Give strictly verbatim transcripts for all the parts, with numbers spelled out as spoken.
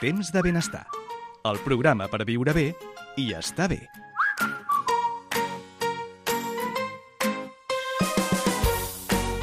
Temps de benestar. El programa per viure bé i estar bé.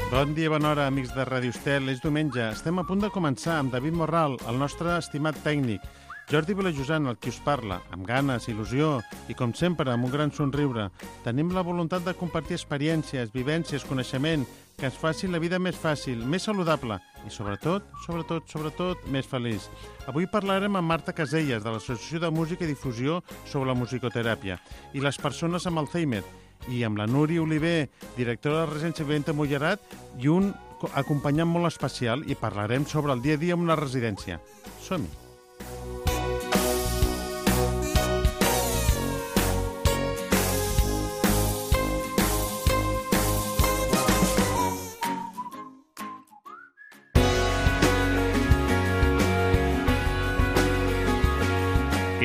Bon dia, bona hora, amics de Ràdio Estel. És diumenge. Estem a punt de començar amb David Morral, el nostre estimat tècnic. Jordi Vilajosant, el qui us parla, amb ganes, il·lusió i, com sempre, amb un gran somriure. Tenim la voluntat de compartir experiències, vivències, coneixement, que ens faci la vida més fàcil, més saludable i, sobretot, sobretot, sobretot, més feliç. Avui parlarem amb Marta Caselles, de l'Associació de Música i Difusió sobre la musicoteràpia i les persones amb Alzheimer, i amb la Núria Oliver, directora de la Residència Viventa Mollerat, i un acompanyant molt especial, i parlarem sobre el dia a dia en una residència. Som-hi!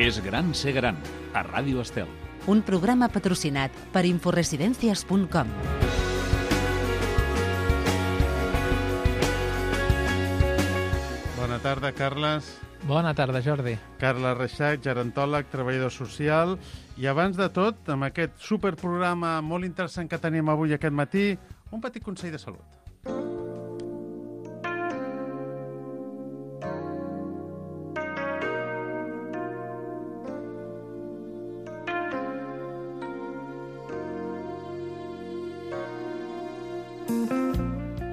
És gran ser gran, a Ràdio Estel. Un programa patrocinat per inforesidencias punt com. Bona tarda, Carles. Bona tarda, Jordi. Carles Reixac, gerontòleg, treballador social. I abans de tot, amb aquest superprograma molt interessant que tenim avui aquest matí, un petit consell de salut.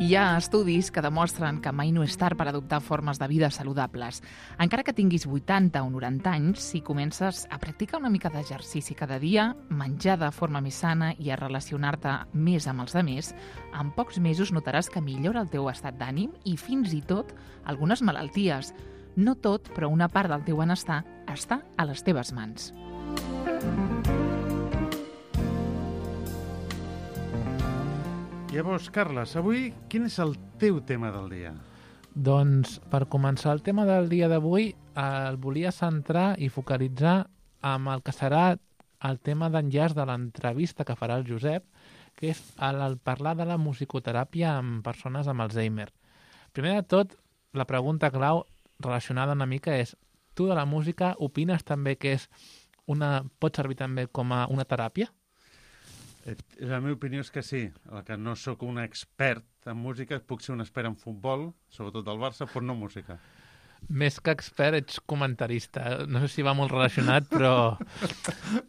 Hi ha estudis que demostren que mai no és tard per adoptar formes de vida saludables. Encara que tinguis vuitanta o noranta anys, si comences a practicar una mica d'exercici cada dia, menjar de forma més sana i a relacionar-te més amb els altres, en pocs mesos notaràs que millora el teu estat d'ànim i fins i tot algunes malalties. No tot, però una part del teu benestar està a les teves mans. Llavors, Carles, avui quin és el teu tema del dia? Doncs, per començar el tema del dia d'avui, el volia centrar i focalitzar amb el que serà el tema d'enllaç de l'entrevista que farà el Josep, que és el, el parlar de la musicoteràpia amb persones amb Alzheimer. Primer de tot, la pregunta clau relacionada una mica és: tu de la música opines també que és una, pot servir també com a una teràpia? La meva opinió és que sí. El que no sóc un expert en música, puc ser un expert en futbol, sobretot del Barça, però no música. Més que expert, ets comentarista. No sé si va molt relacionat, però...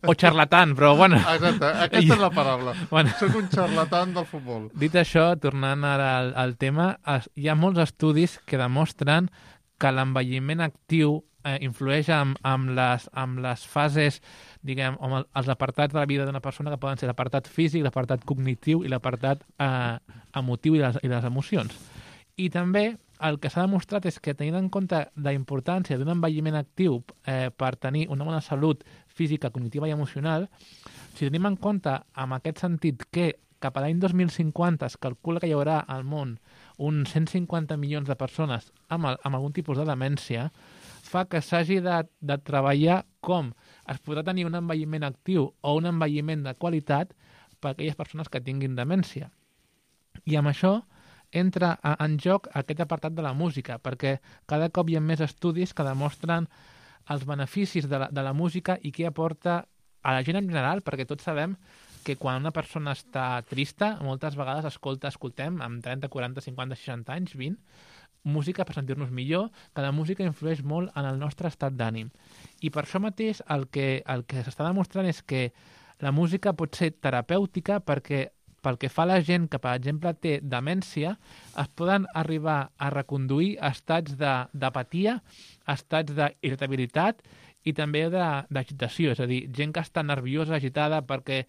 O xarlatan, però bueno... Exacte, aquesta és la paraula. Bueno. Soc un xarlatan del futbol. Dit això, tornant ara al, al tema, hi ha molts estudis que demostren que l'envelliment actiu eh, influeix amb, amb, les, amb les fases, diguem, amb els apartats de la vida d'una persona, que poden ser l'apartat físic, l'apartat cognitiu i l'apartat eh, emotiu i les, i les emocions. I també el que s'ha demostrat és que, tenint en compte la importància d'un envelliment actiu eh, per tenir una bona salut física, cognitiva i emocional, si tenim en compte, en aquest sentit, que cap a l'any dos mil cinquanta es calcula que hi haurà al món uns cent cinquanta milions de persones amb, el, amb algun tipus de demència, fa que s'hagi de, de treballar com es podrà tenir un envelliment actiu o un envelliment de qualitat per a aquelles persones que tinguin demència. I amb això entra a, en joc aquest apartat de la música, perquè cada cop hi ha més estudis que demostren els beneficis de la, de la música i què aporta a la gent en general, perquè tots sabem que quan una persona està trista, moltes vegades escolta, escoltem amb trenta, quaranta, cinquanta, seixanta anys, vint, música per sentir-nos millor, que la música influeix molt en el nostre estat d'ànim. I per això mateix el que, el que s'està demostrant és que la música pot ser terapèutica perquè pel que fa a la gent que, per exemple, té demència, es poden arribar a reconduir estats d'apatia, estats d'irritabilitat i també d'agitació, és a dir, gent que està nerviosa, agitada perquè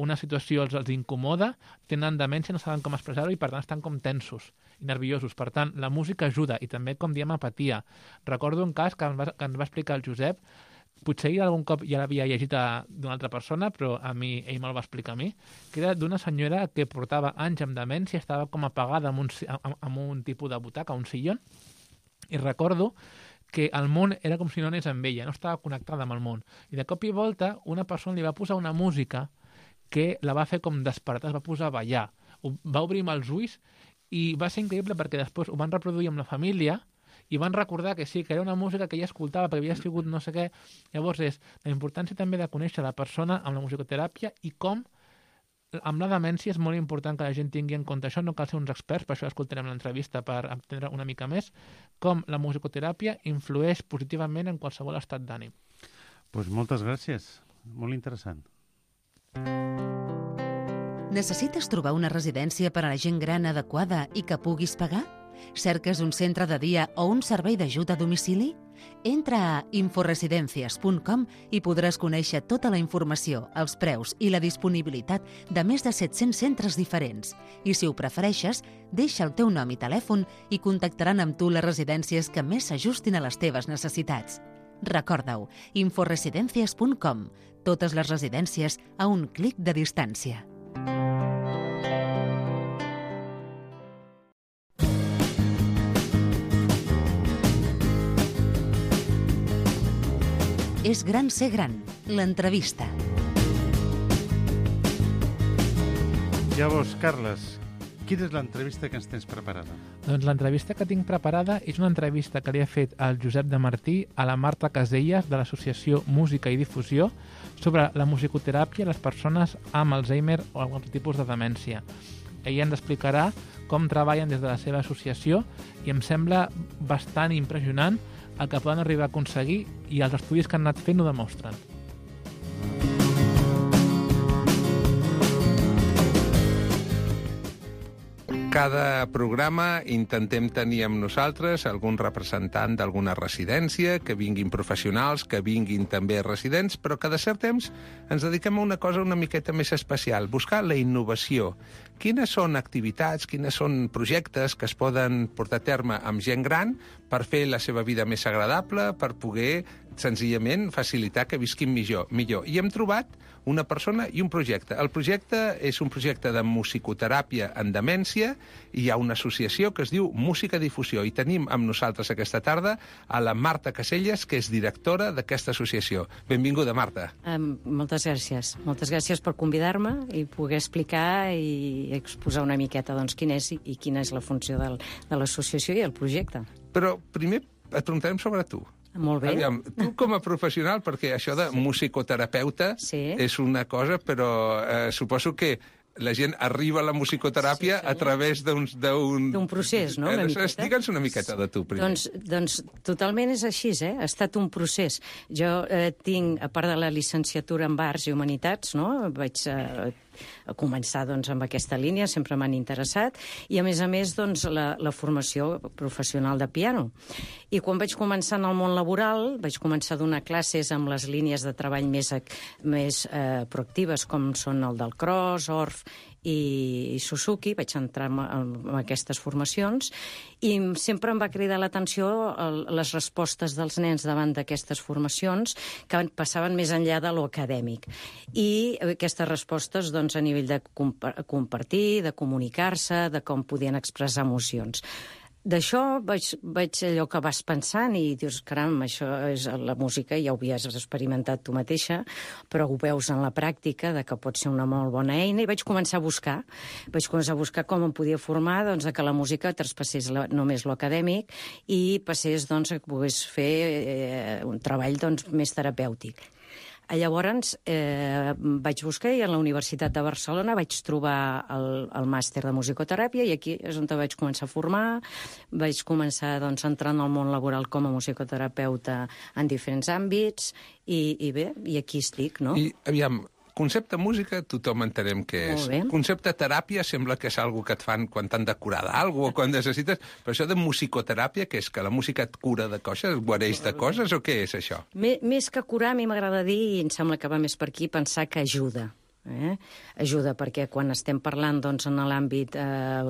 una situació els, els incomoda, tenen demència, no saben com expressar-ho i per tant estan com tensos i nerviosos. Per tant, la música ajuda i també, com diem, apatia. Recordo un cas que ens va, que ens va explicar el Josep, potser algun cop ja l'havia llegit d'una altra persona, però a mi ell me'l va explicar a mi, que era d'una senyora que portava anys amb demència, estava com apagada amb un, amb, amb un tipus de butaca, un sillon, i recordo que el món era com si no anés amb ella, no estava connectada amb el món. I de cop i volta una persona li va posar una música que la va fer com despertar, es va posar a ballar, va obrir els ulls i va ser increïble perquè després ho van reproduir amb la família i van recordar que sí, que era una música que ella escoltava perquè havia sigut no sé què. Llavors és la importància també de conèixer la persona amb la musicoteràpia i com amb la demència és molt important que la gent tingui en compte això, no cal ser uns experts, per això escoltarem l'entrevista per entendre una mica més com la musicoteràpia influeix positivament en qualsevol estat d'ànim. Doncs moltes gràcies, molt interessant. Necessites trobar una residència per a la gent gran adequada i que puguis pagar? Cerques un centre de dia o un servei d'ajuda a domicili? Entra a inforesidencias punt com i podràs conèixer tota la informació, els preus i la disponibilitat de més de set-cents centres diferents. I si ho prefereixes, deixa el teu nom i telèfon i contactaran amb tu les residències que més s'ajustin a les teves necessitats. Recorda-ho, inforesidencias punt com. Totes les residències a un clic de distància. És gran ser gran, l'entrevista. Llavors, Carles, quina és l'entrevista que ens tens preparada? Doncs l'entrevista que tinc preparada és una entrevista que li ha fet el Josep de Martí a la Marta Caselles de l'associació Música i Difusió sobre la musicoteràpia a les persones amb Alzheimer o algun tipus de demència. Ella ens explicarà com treballen des de la seva associació i em sembla bastant impressionant el que poden arribar a aconseguir i els estudis que han anat fent ho demostren. Cada programa intentem tenir amb nosaltres algun representant d'alguna residència, que vinguin professionals, que vinguin també residents, però que de cert temps ens dediquem a una cosa una miqueta més especial, buscar la innovació. Quines són activitats, quines són projectes que es poden portar a terme amb gent gran per fer la seva vida més agradable, per poder senzillament facilitar que visquin millor. millor. I hem trobat una persona i un projecte. El projecte és un projecte de musicoteràpia en demència i hi ha una associació que es diu Música Difusió i tenim amb nosaltres aquesta tarda a la Marta Caselles, que és directora d'aquesta associació. Benvinguda, Marta. Um, moltes gràcies. Moltes gràcies per convidar-me i poder explicar i exposar una miqueta doncs, quina és i quina és la funció del, de l'associació i el projecte. Però primer et preguntarem sobre tu. Molt bé. Aviam, tu com a professional, perquè això de sí. musicoterapeuta sí. és una cosa, però eh, suposo que la gent arriba a la musicoteràpia sí, sí. a través d'un... D'un procés, no? Una eh, Digue'ns una miqueta de tu, primer. Doncs, doncs totalment és així, eh? Ha estat un procés. Jo eh, tinc, a part de la llicenciatura en Arts i Humanitats, no? Vaig... Eh, a començar doncs, amb aquesta línia, sempre m'han interessat, i a més a més doncs, la, la formació professional de piano. I quan vaig començar en el món laboral, vaig començar a donar classes amb les línies de treball més, més eh, proactives, com són el del Cross, Orff i, i Suzuki, vaig entrar en, en aquestes formacions, i sempre em va cridar l'atenció les respostes dels nens davant d'aquestes formacions que passaven més enllà de lo acadèmic. I aquestes respostes doncs, a nivell de compartir, de comunicar-se, de com podien expressar emocions. D'això vaig, vaig allò que vas pensant i dius, caram, això és la música, ja ho havies experimentat tu mateixa, però ho veus en la pràctica, de que pot ser una molt bona eina, i vaig començar a buscar. Vaig començar a buscar com em podia formar doncs, que la música traspassés la, només lo acadèmic i passés doncs, a que pogués fer eh, un treball doncs, més terapèutic. Llavors eh, vaig buscar i a la Universitat de Barcelona vaig trobar el, el màster de musicoteràpia i aquí és on vaig començar a formar, vaig començar doncs, a entrar en el món laboral com a musicoterapeuta en diferents àmbits i, i bé, i aquí estic, no? I aviam, concepte música tothom entenem què és. Concepte teràpia sembla que és algo que et fan quan t'han de curar d'algú o quan necessites, però això de musicoteràpia, què és? Que la música et cura de coses, et guareix de coses o què és això? Més que curar, a mi m'agrada dir, i em sembla que va més per aquí, pensar que ajuda. Eh? Ajuda, perquè quan estem parlant doncs, en l'àmbit eh,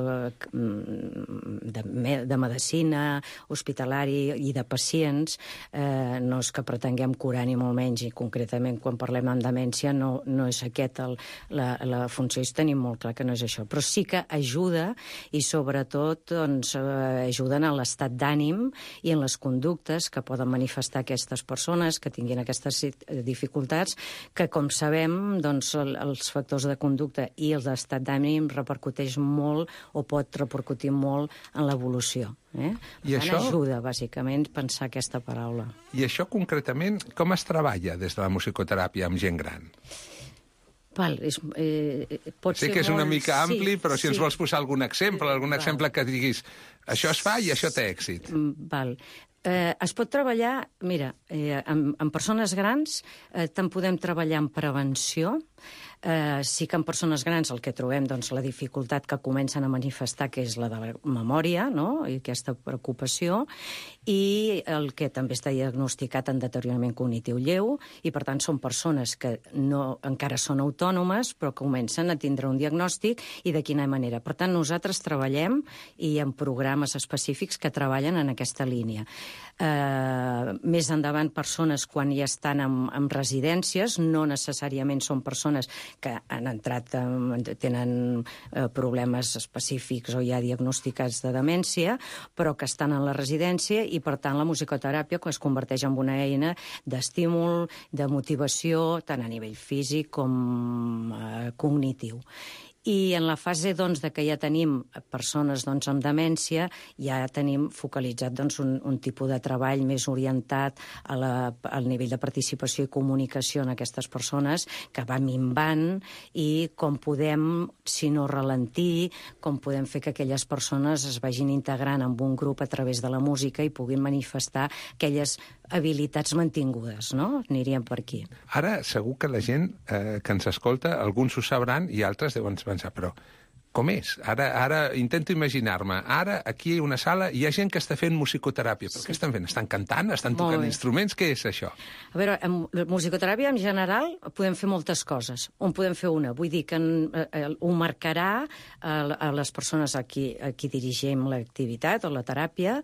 de, de medicina, hospitalari i de pacients, eh, no és que pretenguem curar ni molt menys, i concretament quan parlem en demència no, no és aquest el, la, la funció, i tenim molt clar que no és això, però sí que ajuda i sobretot doncs, eh, ajuden en l'estat d'ànim i en les conductes que poden manifestar aquestes persones que tinguin aquestes dificultats, que com sabem doncs, els factors de conducta i els d'estat d'ànim repercuteix molt o pot repercutir molt en l'evolució. Eh? I això això ajuda, bàsicament, pensar aquesta paraula. I això, concretament, com es treballa des de la musicoteràpia amb gent gran? Val, és, eh, pot Sé ser que és una molt... mica ampli, sí, però si sí. ens vols posar algun exemple, algun Val. exemple que diguis això es fa i això té èxit. Mm, Val. Eh, es pot treballar, mira, eh, amb, amb persones grans eh, tant podem treballar en prevenció. Eh, sí que en persones grans el que trobem, doncs, la dificultat que comencen a manifestar, que és la de la memòria, no?, i aquesta preocupació, i el que també està diagnosticat en deteriorament cognitiu lleu, i per tant són persones que no, encara són autònomes, però que comencen a tindre un diagnòstic i de quina manera. Per tant, nosaltres treballem i en programes específics que treballen en aquesta línia. Eh, més endavant, persones quan ja estan en, en residències, no necessàriament són persones que han entrat, eh, tenen eh, problemes específics o ja diagnosticats de demència, però que estan en la residència i, per tant, la musicoteràpia es converteix en una eina d'estímul, de motivació, tant a nivell físic com eh, cognitiu. I en la fase doncs, de que ja tenim persones doncs, amb demència, ja tenim focalitzat doncs, un, un tipus de treball més orientat a la, al nivell de participació i comunicació en aquestes persones, que va minvant, i com podem, si no ralentir, com podem fer que aquelles persones es vagin integrant en un grup a través de la música i puguin manifestar aquelles habilitats mantingudes, no? Aniríem per aquí. Ara, segur que la gent eh, que ens escolta, alguns ho sabran i altres deuen pensar, però com és? Ara, ara intento imaginar-me. Ara, aquí hi ha una sala i hi ha gent que està fent musicoteràpia. Però sí. Què estan fent? Estan cantant? Estan Molt tocant bé. instruments? Què és això? A veure, en musicoteràpia en general podem fer moltes coses. On podem fer una? Vull dir que en, eh, ho marcarà a, a les persones a qui, a qui dirigim l'activitat o la teràpia,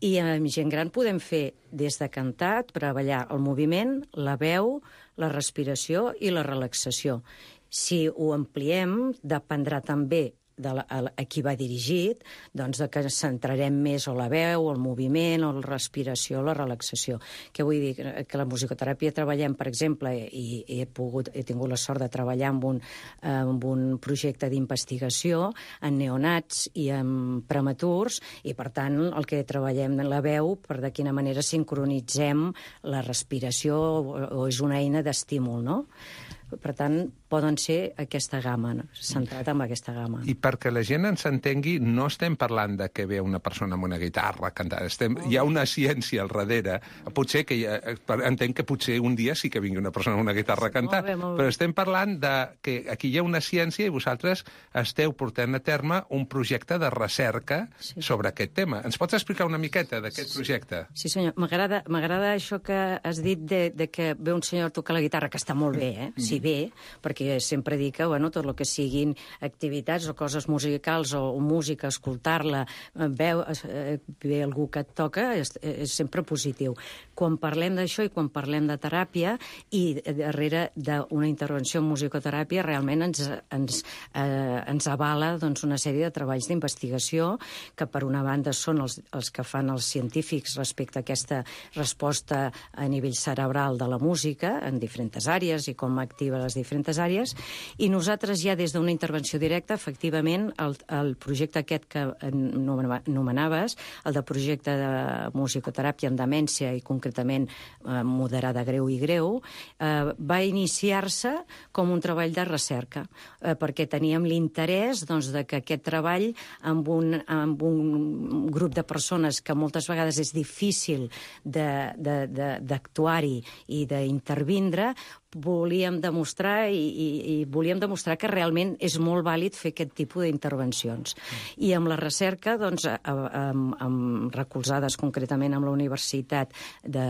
i amb gent gran podem fer des de cantar, treballar el moviment, la veu, la respiració i la relaxació. Si ho ampliem, dependrà també de la, a, a qui va dirigit, doncs de que centrarem més o la veu, o el moviment, o la respiració, o la relaxació. Què vull dir? Que la musicoteràpia treballem, per exemple, i, i he, pogut, he tingut la sort de treballar amb un, amb un projecte d'investigació en neonats i en prematurs, i per tant el que treballem en la veu, per de quina manera sincronitzem la respiració, o, o és una eina d'estímul, no? Per tant, poden ser aquesta gamma, no? Centrat en aquesta gamma. I perquè la gent ens entengui, no estem parlant de que ve una persona amb una guitarra cantant. Estem, hi ha una ciència al darrere. Potser que ha, entenc que potser un dia sí que vingui una persona amb una guitarra a cantar, molt bé, molt bé. Però estem parlant de que aquí hi ha una ciència i vosaltres esteu portant a terme un projecte de recerca sí. sobre aquest tema. Ens pots explicar una miqueta d'aquest projecte? Sí, senyor. M'agrada m'agrada això que has dit de, de que ve un senyor a tocar la guitarra, que està molt bé, eh? Sí, bé, perquè sempre dic que bueno, tot el que siguin activitats o coses musicals o, o música, escoltar-la, veu, eh, ve algú que et toca, és, és sempre positiu. Quan parlem d'això i quan parlem de teràpia, i darrere d'una intervenció en musicoteràpia, realment ens, ens, eh, ens avala doncs, una sèrie de treballs d'investigació que, per una banda, són els, els que fan els científics respecte a aquesta resposta a nivell cerebral de la música en diferents àrees i com activa a les diferents àrees, i nosaltres ja des d'una intervenció directa, efectivament, el, el projecte aquest que anomenaves, el de projecte de musicoteràpia en demència i concretament eh, moderada greu i greu, eh, va iniciar-se com un treball de recerca, eh, perquè teníem l'interès doncs, de que aquest treball amb un, amb un grup de persones que moltes vegades és difícil d'actuar-hi i d'intervindre, volíem demostrar i, i, i volíem demostrar que realment és molt vàlid fer aquest tipus d'intervencions. I amb la recerca, doncs, amb, amb recolzades concretament amb la Universitat de,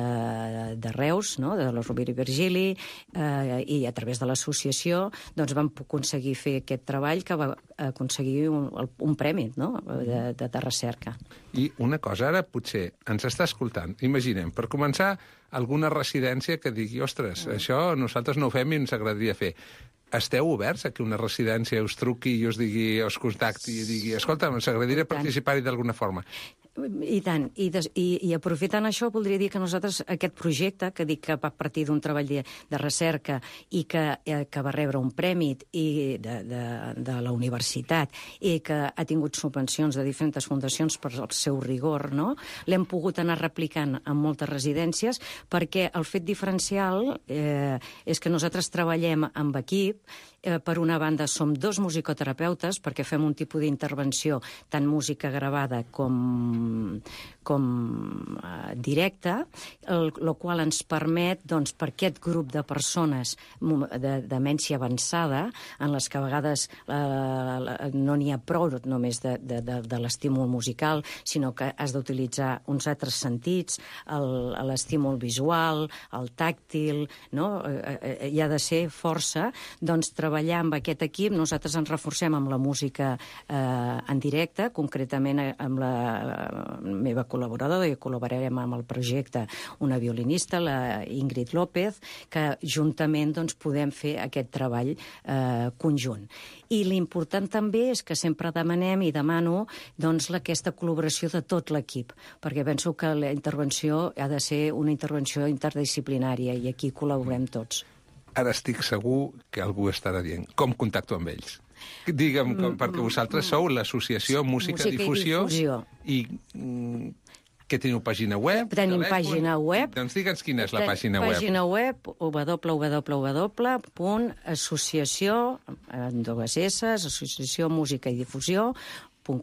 de Reus, no?, de la Rovira i Virgili, eh, i a través de l'associació, doncs vam aconseguir fer aquest treball que va aconseguir un, un premi, no?, de, de, de recerca. I una cosa, ara potser ens està escoltant. Imaginem, per començar, alguna residència que digui, ostres, mm. això nosaltres no ho fem i ens agradaria fer. Esteu oberts a que una residència us truqui i us digui, us contacti i digui, escolta, ens agradaria participar-hi d'alguna forma? I tant. I, des, i, I aprofitant això, voldria dir que nosaltres, aquest projecte, que dic que va partir d'un treball de, de recerca i que, eh, que va rebre un premi i de, de, de la universitat i que ha tingut subvencions de diferents fundacions per el seu rigor, no? L'hem pogut anar replicant en moltes residències perquè el fet diferencial eh, és que nosaltres treballem amb equip. Eh, per una banda, som dos musicoterapeutes perquè fem un tipus d'intervenció, tant música gravada com, com eh, directa, el, el qual ens permet, doncs, per aquest grup de persones de demència avançada, en les que a vegades eh, no n'hi ha prou només de, de, de, de l'estímul musical, sinó que has d'utilitzar uns altres sentits, l'estímul visual, el tàctil, no? Eh, eh, hi ha de ser força, doncs, treballar amb aquest equip. Nosaltres ens reforcem amb la música eh, en directe, concretament amb la eh, meva col·laboradora, i col·laborarem amb el projecte una violinista, la Ingrid López, que juntament doncs, podem fer aquest treball eh, conjunt. I l'important també és que sempre demanem i demano doncs, aquesta col·laboració de tot l'equip, perquè penso que la intervenció ha de ser una intervenció interdisciplinària i aquí col·laborem tots. Ara estic segur que algú estarà dient com contacto amb ells. Digue'm, com, perquè vosaltres sou l'Associació Música, Música Difusió i Difusió. I mm, que teniu pàgina web? Tenim telèfon? pàgina web. Doncs digue'ns quina és la pàgina web. Pàgina web w w w punt associació, amb dues S, associació música i difusió,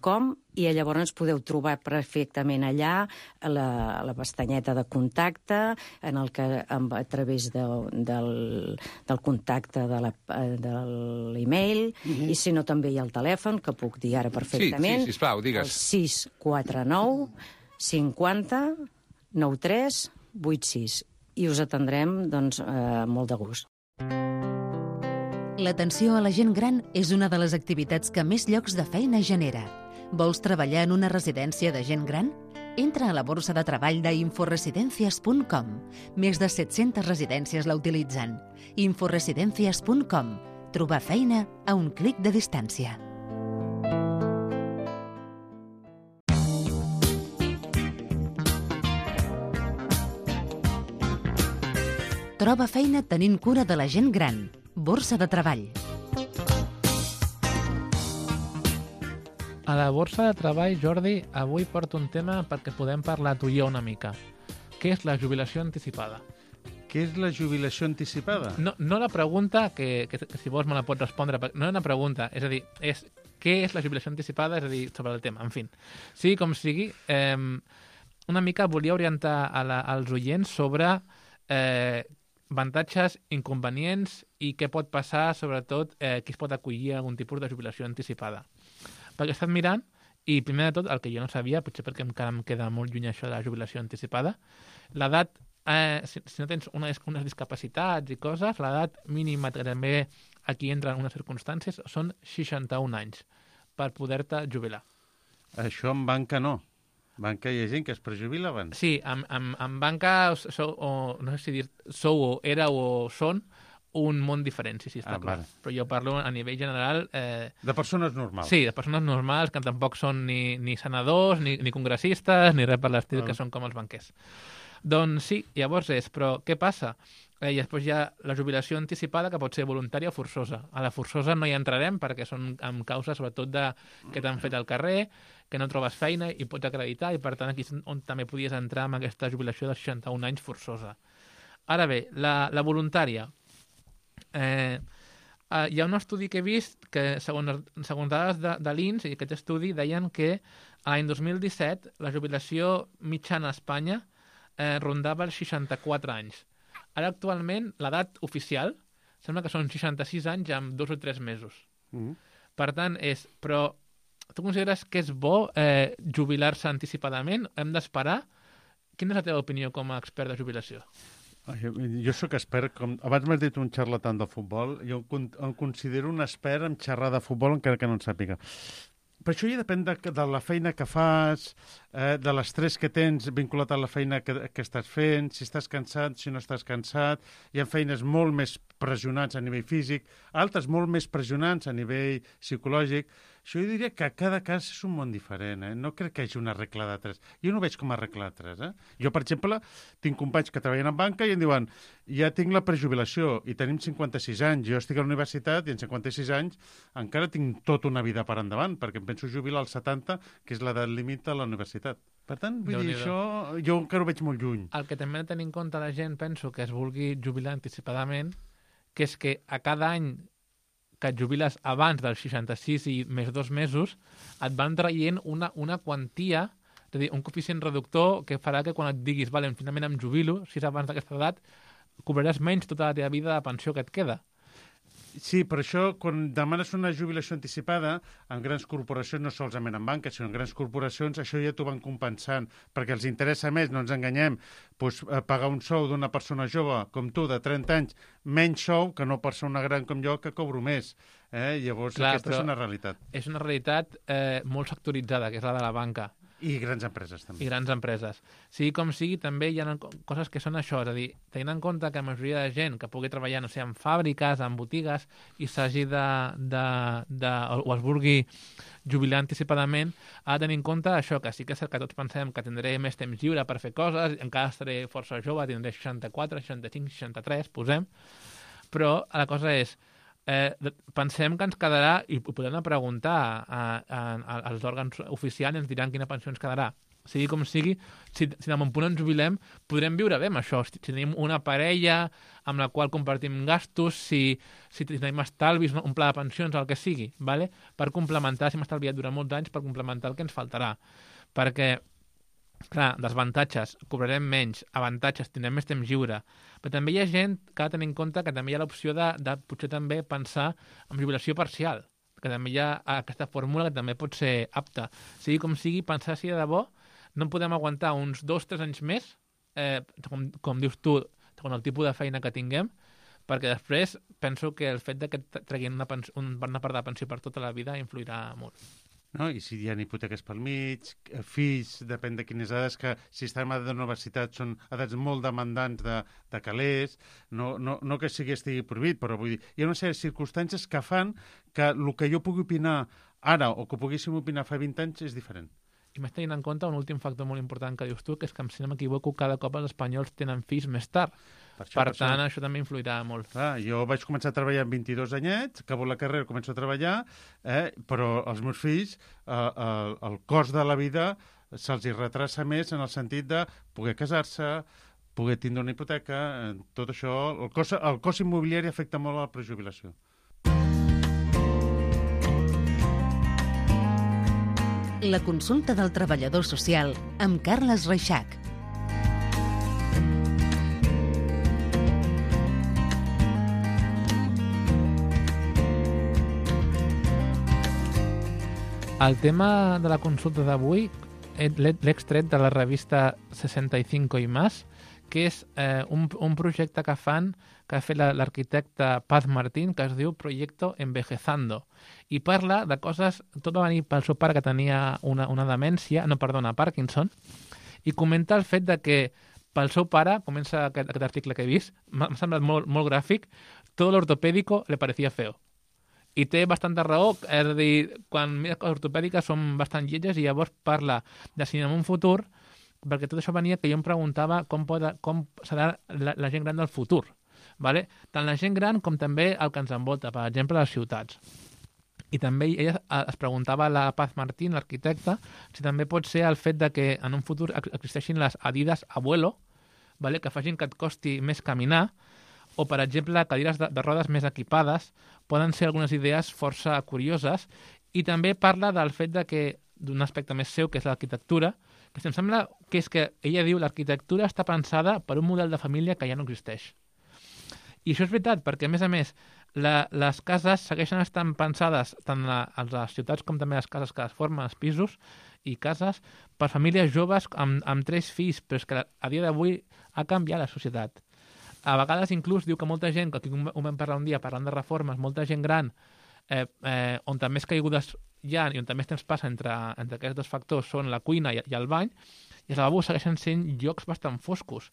.com, i llavors ens podeu trobar perfectament allà a la, a la pestanyeta de contacte, en el que a través de, del, del contacte de l'e-mail, mm-hmm. I si no també hi ha el telèfon, que puc dir ara perfectament. Sí, sí, sisplau, digues. El sis quatre nou cinquanta noranta tres vuitanta sis. I us atendrem, doncs, eh, molt de gust. L'atenció a la gent gran és una de les activitats que més llocs de feina genera. Vols treballar en una residència de gent gran? Entra a la borsa de treball d'inforesidencias punt com. Més de set-centes residències la utilitzen. inforesidencias punt com. Trobar feina a un clic de distància. Troba feina tenint cura de la gent gran. Borsa de treball. A la borsa de treball, Jordi, avui porto un tema perquè podem parlar tu i jo una mica. Què és la jubilació anticipada? Què és la jubilació anticipada? No, no la pregunta, que, que, que si vols me la pots respondre, no és una pregunta, és a dir, és què és la jubilació anticipada, és a dir, sobre el tema, en fi. Sigui com sigui, eh, una mica volia orientar a la, als oients sobre eh, avantatges, inconvenients i què pot passar, sobretot, eh, qui es pot acollir a algun tipus de jubilació anticipada. Perquè he estat mirant, i primer de tot, el que jo no sabia, potser perquè encara em queda molt lluny això de la jubilació anticipada, l'edat, eh, si, si no tens unes, unes discapacitats i coses, l'edat mínima que també aquí entra en unes circumstàncies són seixanta-un anys per poder-te jubilar. Això en banca no. Banca hi ha gent que es prejubila abans. Sí, en, en, en banca sou, o, no sé si dir, sou o era o són un món diferent, sí, sí, està ah, clar. Vale. Però jo parlo a nivell general... Eh, de persones normals. Sí, de persones normals, que tampoc són ni, ni senadors, ni, ni congressistes, ni res per l'estil, ah. que són com els banquers. Doncs sí, llavors és, però què passa? Eh, I després hi ha la jubilació anticipada, que pot ser voluntària o forçosa. A la forçosa no hi entrarem, perquè són amb causes sobretot de que t'han fet al carrer, que no trobes feina i pots acreditar, i per tant aquí és on també podies entrar amb aquesta jubilació de seixanta-un anys forçosa. Ara bé, la, la voluntària. Eh, eh, hi ha un estudi que he vist que, segons, segons dades de, de l'I N S, i aquest estudi deien que l'any dos mil disset la jubilació mitjana a Espanya eh, rondava els seixanta-quatre anys. Ara, actualment, l'edat oficial sembla que són seixanta-sis anys amb dos o tres mesos. Mm. Per tant, és... Però tu consideres que és bo eh, jubilar-se anticipadament? Hem d'esperar? Quina és la teva opinió com a expert de jubilació? Jo, jo sóc expert, com abans m'has dit un xarlatan de futbol, jo em considero un expert en xerrar de futbol encara que no en sàpiga. Però això ja depèn de, de la feina que fas, eh, de l'estrès que tens vinculat a la feina que, que estàs fent, si estàs cansat, si no estàs cansat. Hi ha feines molt més pressionants a nivell físic, altres molt més pressionants a nivell psicològic. Això jo diria que cada cas és un món diferent, eh? No crec que hi hagi una regla de tres. Jo no ho veig com a regla de tres, eh? Jo, per exemple, tinc companys que treballen en banca i em diuen ja tinc la prejubilació i tenim cinquanta-sis anys, jo estic a la universitat i en cinquanta-sis anys encara tinc tota una vida per endavant, perquè em penso jubilar als setanta, que és l'edat límit a la universitat. Per tant, vull dir, això jo encara ho veig molt lluny. El que també ha de tenir en compte la gent, penso, que es vulgui jubilar anticipadament, que és que a cada any que et jubiles abans dels seixanta-sis i més dos mesos, et van traient una, una quantia, és a dir, un coeficient reductor que farà que quan et diguis, vale, finalment em jubilo, si és abans d'aquesta edat, cobraràs menys tota la teva vida de pensió que et queda. Sí, per això, quan demanes una jubilació anticipada, en grans corporacions, no solament en banques, sinó en grans corporacions, això ja t'ho van compensant, perquè els interessa més, no ens enganyem, doncs, pagar un sou d'una persona jove com tu, de trenta anys, menys sou que no persona gran com jo, que cobro més. Eh? Llavors, Clar, aquesta és una realitat. És una realitat eh, molt sectoritzada, que és la de la banca. I grans empreses, també. I grans empreses. Sigui com sigui, també hi ha coses que són això, és a dir, tenint en compte que la majoria de gent que pugui treballar, no sé, en fàbriques, en botigues, i s'hagi de, de, de, o es vulgui jubilar anticipadament, ha de tenir en compte això, que sí que és cert que tots pensem que tindré més temps lliure per fer coses, encara estaré força jove, tindré seixanta-quatre, seixanta-cinc, seixanta-tres, posem, però la cosa és, Eh, pensem que ens quedarà, i ho podem preguntar a, a, a, als òrgans oficials i ens diran quina pensió ens quedarà. Sigui com sigui, si, si en un punt ens jubilem, podrem viure bé amb això. Si, si tenim una parella amb la qual compartim gastos, si, si tenim estalvis, un pla de pensions, el que sigui, ¿vale? Per complementar, si hem estalviat durant molts anys, per complementar el que ens faltarà. Perquè, clar, desavantatges, cobrarem menys, avantatges, tindrem més temps lliure. Però també hi ha gent que ha de tenir en compte que també hi ha l'opció de, de potser també pensar en jubilació parcial, que també hi ha aquesta fórmula que també pot ser apta. Sigui com sigui, pensar si de debò no podem aguantar uns dos o tres anys més, eh, com, com dius tu, segons el tipus de feina que tinguem, perquè després penso que el fet de que treguin una, un, una part de pensió per tota la vida influirà molt. No? I si hi ha hipoteques pel mig, fills, depèn de quines edats, que si estem a la universitat són edats molt demandants de, de calés, no, no, no que sigui estigui prohibit, però vull dir, hi ha una sèrie de circumstàncies que fan que el que jo pugui opinar ara o que poguéssim opinar fa vint anys és diferent. I més tenint en compte un últim factor molt important que dius tu, que és que, si no m'equivoco, cada cop els espanyols tenen fills més tard. Per, això, per, per tant, això. això també influirà molt. Clar, jo vaig començar a treballar amb vint-i-dos anyets, acabo la carrera, començo a treballar, eh, però els meus fills, eh, el, el cost de la vida se'ls hi retrasa més en el sentit de poder casar-se, poder tindre una hipoteca, eh, tot això. El cost, el cost immobiliari afecta molt a la prejubilació. La consulta del treballador social amb Carles Reixac. El tema de la consulta d'avui l'he extret de la revista seixanta i cinc i más, que és eh, un, un projecte que fan, que ha fet l'arquitecte Paz Martín, que es diu Proyecto Envejezando, i parla de coses, tot va venir pel seu pare que tenia una, una demència, no, perdona, Parkinson, i comenta el fet de que pel seu pare, comença aquest, aquest article que he vist, m'ha semblat molt, molt gràfic, tot l'ortopèdico le parecía feo. I té bastanta raó, és a dir, quan mires coses ortopèdiques són bastant lletges i llavors parla de si en un futur, perquè tot això venia que jo em preguntava com, pot, com serà la, la gent gran del futur. Vale? Tant la gent gran com també el que ens envolta, per exemple, les ciutats. I també ella es preguntava a la Paz Martín, l'arquitecte, si també pot ser el fet de que en un futur existeixin les Adidas Abuelo, vale? Que facin que et costi més caminar, o, per exemple, cadires de, de rodes més equipades, poden ser algunes idees força curioses, i també parla del fet de que, d'un aspecte més seu, que és l'arquitectura, que em sembla que és que ella diu l'arquitectura està pensada per un model de família que ja no existeix. I això és veritat, perquè, a més a més, la, les cases segueixen estant pensades tant a, a les ciutats com també a les cases que es formen, els pisos i cases, per famílies joves amb, amb tres fills, però és que a dia d'avui ha canviat la societat. A vegades inclús diu que molta gent, que aquí ho vam parlar un dia parlant de reformes, molta gent gran, eh, eh, on també més caigudes hi ha i on també temps passa entre, entre aquests dos factors són la cuina i, i el bany, i els lavabos segueixen sent llocs bastant foscos.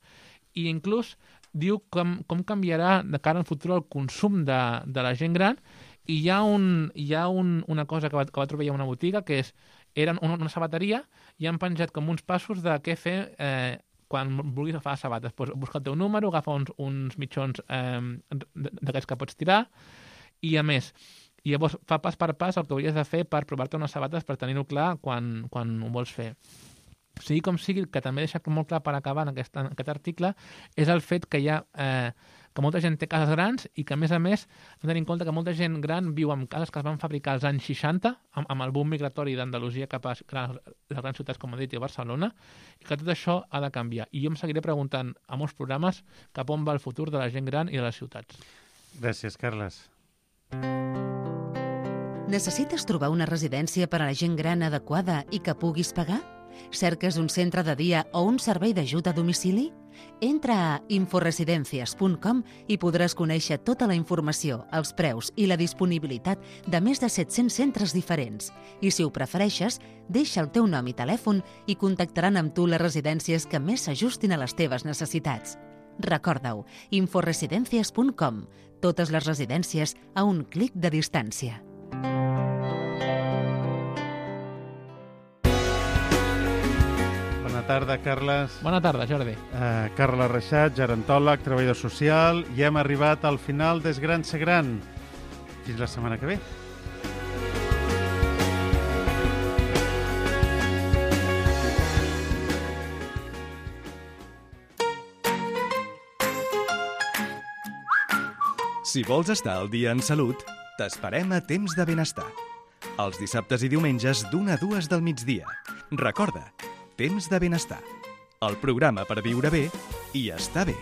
I inclús diu com, com canviarà de cara al futur el consum de, de la gent gran i hi ha, un, hi ha un, una cosa que va, que va trobar a una botiga, que és, eren una, una sabateria, i han penjat com uns passos de què fer eh, quan vulguis agafar sabates. Pues, busca el teu número, agafa uns, uns mitjons eh, d'aquests que pots tirar, i a més, i llavors fa pas per pas el que hauries de fer per provar-te unes sabates per tenir-ho clar quan, quan ho vols fer. Sigui com sigui, que també deixa molt clar per acabar en aquest, en aquest article, és el fet que hi ha eh, que molta gent té cases grans i que, a més a més, hem de tenir en compte que molta gent gran viu en cases que es van fabricar als anys seixanta, amb, amb el boom migratori d'Andalusia cap a les grans ciutats, com he dit, i Barcelona, i que tot això ha de canviar. I jo em seguiré preguntant a molts programes cap on va el futur de la gent gran i de les ciutats. Gràcies, Carles. Necessites trobar una residència per a la gent gran adequada i que puguis pagar? Cerques un centre de dia o un servei d'ajut a domicili? Entra a inforesidencias punt com i podràs conèixer tota la informació, els preus i la disponibilitat de més de set-cents centres diferents. I si ho prefereixes, deixa el teu nom i telèfon i contactaran amb tu les residències que més s'ajustin a les teves necessitats. Recorda-ho, inforesidencias punt com. Totes les residències a un clic de distància. Bona tarda, Carles. Bona tarda, Jordi. Uh, Carles Reixat, gerontòleg, treballador social, i hem arribat al final d'És Gran Ser Gran. Fins la setmana que ve. Si vols estar al dia en salut, t'esperem a Temps de Benestar. Els dissabtes i diumenges d'una a dues del migdia. Recorda, Temps de Benestar. El programa per viure bé i estar bé.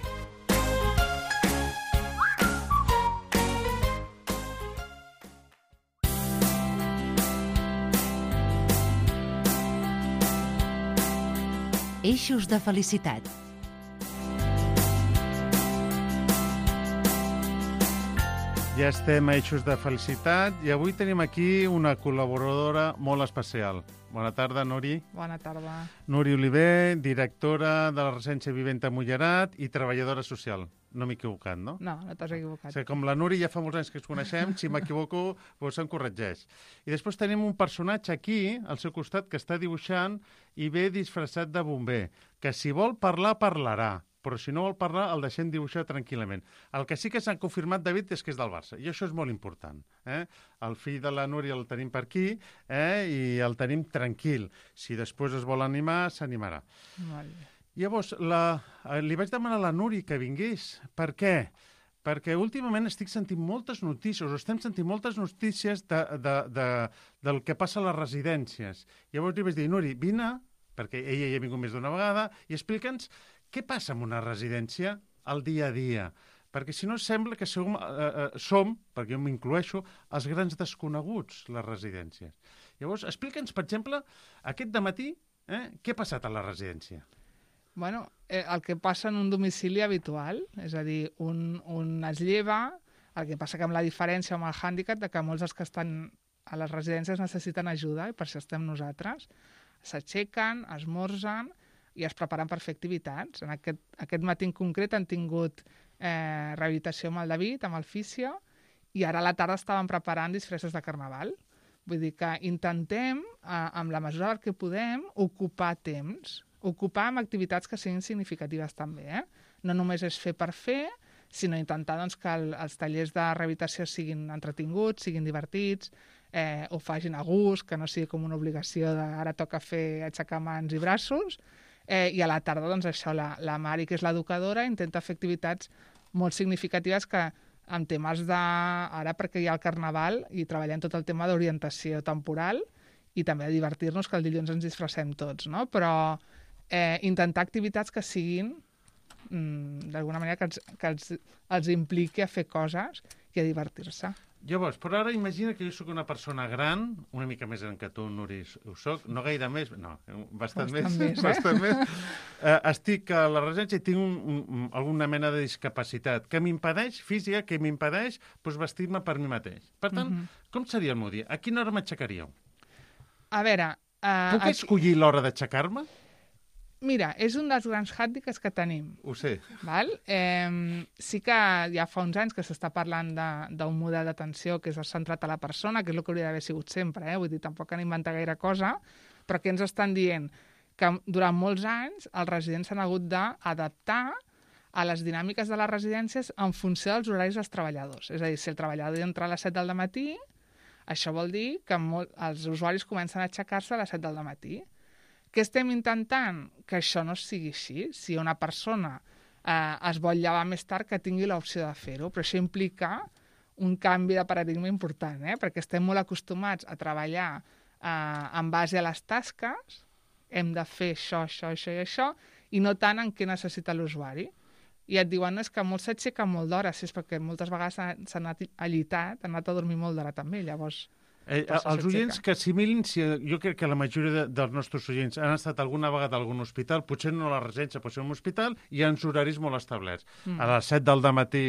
Eixos de felicitat. Ja estem a Eixos de Felicitat i avui tenim aquí una col·laboradora molt especial. Bona tarda, Nuri. Bona tarda. Nuri Oliver, directora de la Residència Viventa Mullerat i treballadora social. No m'he equivocat, no? No, no t'has equivocat. O sigui, com la Nuri ja fa molts anys que ens coneixem, si m'equivoco, doncs em corregeix. I després tenim un personatge aquí, al seu costat, que està dibuixant i ve disfressat de bomber, que si vol parlar, parlarà. Però si no vol parlar, el deixem dibuixar tranquil·lament. El que sí que s'ha confirmat, David, és que és del Barça, i això és molt important. Eh? El fill de la Núria el tenim per aquí eh? i el tenim tranquil. Si després es vol animar, s'animarà. Molt bé. Llavors, la, li vaig demanar a la Núria que vingués. Per què? Perquè últimament estic sentint moltes notícies, o estem sentint moltes notícies de, de, de, del que passa a les residències. Llavors li vaig dir, Núria, vine, perquè ella ja ha vingut més d'una vegada, i explica'ns què passa en una residència al dia a dia? Perquè si no sembla que som, eh, eh, som perquè jo m'incloeixo, els grans desconeguts, les residències. Llavors, explica'ns, per exemple, aquest dematí, eh, què ha passat a la residència? Bueno, eh, el que passa en un domicili habitual, és a dir, un, un es lleva, el que passa que amb la diferència amb el hàndicap de que molts dels que estan a les residències necessiten ajuda, i per això estem nosaltres. S'aixequen, esmorzen i es preparen per fer activitats. En aquest, aquest matí en concret han tingut eh, rehabilitació amb el David, amb el fisio, i ara a la tarda estaven preparant disfresses de carnaval. Vull dir que intentem, eh, amb la mesura del que podem, ocupar temps, ocupar amb activitats que siguin significatives també. Eh? No només és fer per fer, sinó intentar doncs, que el, els tallers de rehabilitació siguin entretinguts, siguin divertits, eh, ho facin a gust, que no sigui com una obligació de ara toca fer aixecar mans i braços. Eh, I a la tarda, doncs, això, la, la Mari, que és l'educadora, intenta fer activitats molt significatives que en temes de... Ara perquè hi ha el Carnaval i treballem tot el tema d'orientació temporal i també de divertir-nos, que el dilluns ens disfressem tots, no? Però eh, intentar activitats que siguin, mm, d'alguna manera, que, els, que els, els impliqui a fer coses i a divertir-se. Llavors, però ara imagina que jo sóc una persona gran, una mica més gran que tu, Nuri, ho soc, no gaire més, no, bastant, bastant més, més eh? bastant més. Eh, estic a la residència i tinc un, un, alguna mena de discapacitat que m'impedeix, física, que m'impedeix doncs, vestir-me per mi mateix. Per tant, uh-huh. com seria el meu dia? A quina hora m'aixecaríeu? A veure... Uh, Puc aquí... escollir l'hora d'aixecar-me? Mira, és un dels grans hàndicaps que tenim. Ho sé. Val? Eh, sí que ja fa uns anys que s'està parlant d'un model d'atenció que és centrat a la persona, que és el que hauria d'haver sigut sempre, eh? Vull dir, tampoc han inventat gaire cosa, però que ens estan dient que durant molts anys els residents s'han hagut d'adaptar a les dinàmiques de les residències en funció dels horaris dels treballadors. És a dir, si el treballador entra a les set del matí, això vol dir que molt, els usuaris comencen a aixecar-se a les set del matí. Què estem intentant? Que això no sigui així. Si una persona eh, es vol llevar més tard, que tingui l'opció de fer-ho. Però això implica un canvi de paradigma important, eh? Perquè estem molt acostumats a treballar eh, en base a les tasques, hem de fer això, això, això i això, i no tant en què necessita l'usuari. I et diuen, no, és que molts s'aixequen molt d'hora, si és perquè moltes vegades s'han anat allitat, han anat a dormir molt d'hora també, llavors... Eh, els oients que assimilin, si, jo crec que la majoria de, dels nostres oients han estat alguna vegada a algun hospital, potser no a la residència, potser a un hospital, i hi ha uns horaris molt establerts. Mm. A les set del matí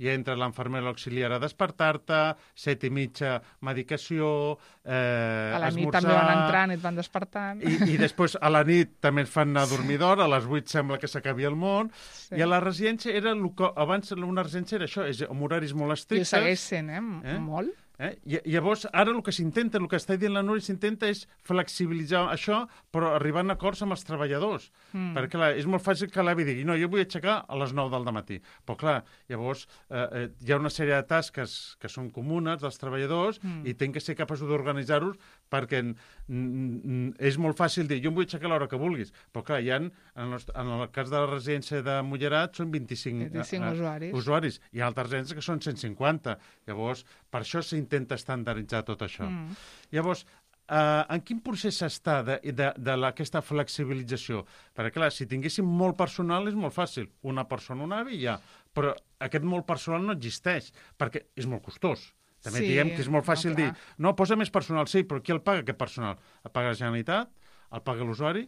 ja entra l'infermera auxiliar a despertar-te, set i mitja medicació, eh, a la esmorzar... nit també van entrant i et van despertant. I, I després a la nit també et fan anar a dormir d'hora, a les vuit sembla que s'acabi el món, sí. I a la residència era el que abans una residència era això, és amb horaris molt estrictes. I ho segueix sent, eh? eh? Molt. Eh? I llavors, ara el que s'intenta, el que està dient la Núria, s'intenta és flexibilitzar això, però arribant a acords amb els treballadors. Mm. Perquè, clar, és molt fàcil que l'avi digui, no, jo vull aixecar a les nou del matí. Però, clar, llavors eh, eh, hi ha una sèrie de tasques que són comunes dels treballadors mm. i tenen que ser capaços d'organitzar-los perquè és molt fàcil dir, jo em vull aixecar a l'hora que vulguis. Però, clar, hi ha, en el, en el cas de la residència de Mollerat, són vint-i-cinc, vint-i-cinc uh, usuaris. usuaris. Hi ha altres residències que són cent cinquanta. Llavors, per això s'intenta estandarditzar tot això. Mm. Llavors, Uh, en quin procés està de, de, de la, aquesta flexibilització? Perquè, clar, si tinguéssim molt personal és molt fàcil. Una persona, un avi, ja. Però aquest molt personal no existeix, perquè és molt costós. També sí, diguem que és molt fàcil no, dir, no, posa més personal, sí, però qui el paga, aquest personal? El paga la Generalitat? El paga l'usuari?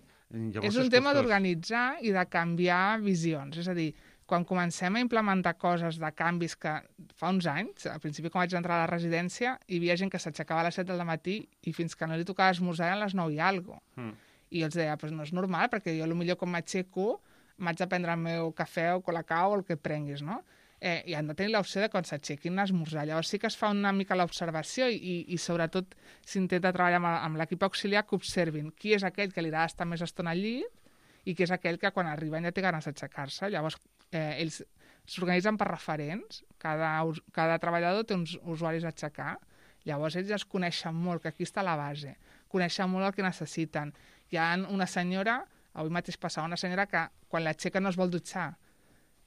És un tema d'organitzar i de canviar visions. És a dir, quan comencem a implementar coses de canvis que fa uns anys, al principi quan vaig entrar a la residència, hi havia gent que s'aixecava a les set del matí i fins que no li tocava esmorzar a les nou i alguna cosa. Mm. I jo els deia, pues no és normal, perquè jo potser quan m'aixeco m'haig de prendre el meu cafè o colacao o el que prenguis, no? Eh, I han de tenir l'opció de quan s'aixequin a esmorzar. Llavors sí que es fa una mica l'observació i, i, i sobretot s'intenta treballar amb, amb l'equip auxiliar que observin qui és aquell que li agrada estar més estona al llit i qui és aquell que quan arriben ja té ganes d'aixecar-se. Llavors eh, ells s'organitzen per referents, cada, cada treballador té uns usuaris a aixecar, llavors ells ja es coneixen molt, que aquí està la base, coneixen molt el que necessiten. Hi ha una senyora, avui mateix passava una senyora que quan l'aixeca no es vol dutxar,